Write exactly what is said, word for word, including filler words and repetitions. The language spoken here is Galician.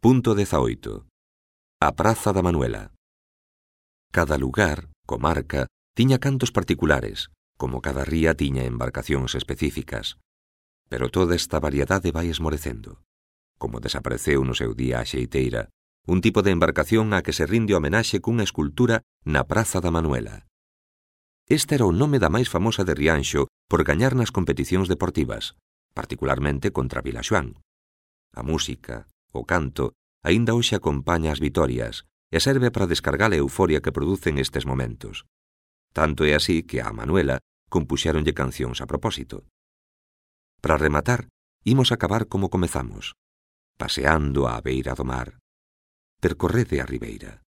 Punto dezaoito. A Praza da Manuela. Cada lugar, comarca, tiña cantos particulares, como cada ría tiña embarcacións específicas. Pero toda esta variedade vai esmorecendo. Como desapareceu no seu día a xeiteira, un tipo de embarcación a que se rinde homenaxe cunha escultura na Praza da Manuela. Este era o nome da máis famosa de Rianxo por gañar nas competicións deportivas, particularmente contra Vilaxoán. A música, o canto, aínda hoxe acompaña as vitorias e serve para descargar a euforia que producen estes momentos. Tanto é así que a Manuela compuxéronlle cancións a propósito. Para rematar, imos acabar como comezamos, paseando á beira do mar. Percorrede a ribeira.